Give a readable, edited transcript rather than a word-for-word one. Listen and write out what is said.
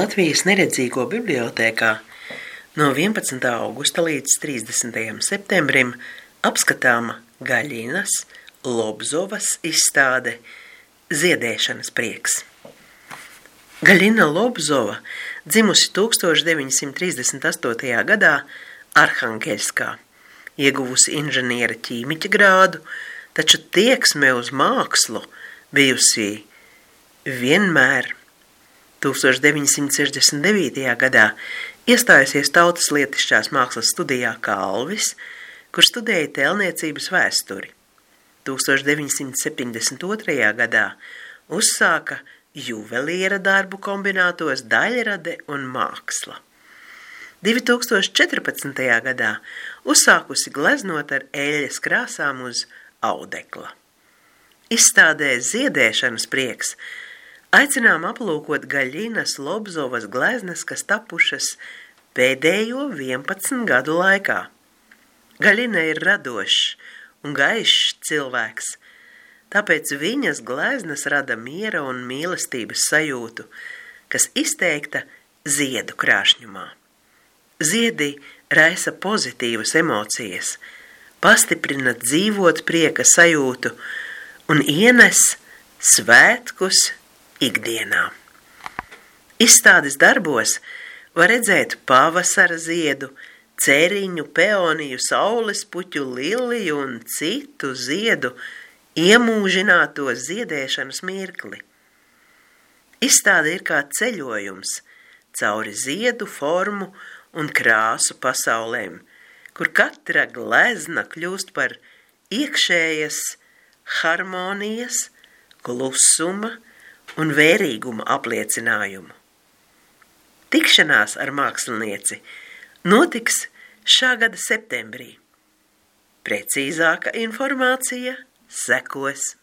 Latvijas neredzīgo bibliotēkā no 11. augusta līdz 30. septembrim apskatāma Gaļinas Lobzovas izstāde Ziedēšanas prieks. Gaļina Lobzova dzimusi 1938. gadā Arhangeļskā, ieguvusi inženiera ķīmiķa grādu, taču tieksme uz mākslu bijusi vienmēr. 1969. gadā iestājusies Tautas lietišķās mākslas studijā Kalvis, kur studēja tēlniecības vēsturi. 1972. gadā uzsāka juveliera darbu kombinātos daļrade un māksla. 2014. gadā uzsākusi gleznot ar eļļas krāsām uz audekla. Izstādē Ziedēšanas prieks aicinām aplūkot Gaļinas Lobzovas gleznas, kas tapušas pēdējo 11 gadu laikā. Gaļina ir radošs un gaišs cilvēks, tāpēc viņas gleznas rada miera un mīlestības sajūtu, kas izteikta ziedu krāšņumā. Ziedi raisa pozitīvas emocijas, pastiprina dzīvot prieka sajūtu un ienes svētkus ikdienā. Izstādes darbos var redzēt pavasara ziedu, cēriņu, peoniju, saulespuķu, liliju un citu ziedu iemūžināto ziedēšanas mirkli. Izstāde ir kā ceļojums cauri ziedu formu un krāsu pasaulēm, kur katra glezna kļūst par iekšējas harmonijas, klusuma un vērīguma apliecinājumu. Tikšanās ar mākslinieci notiks šā gada septembrī. Precīzāka informācija sekos.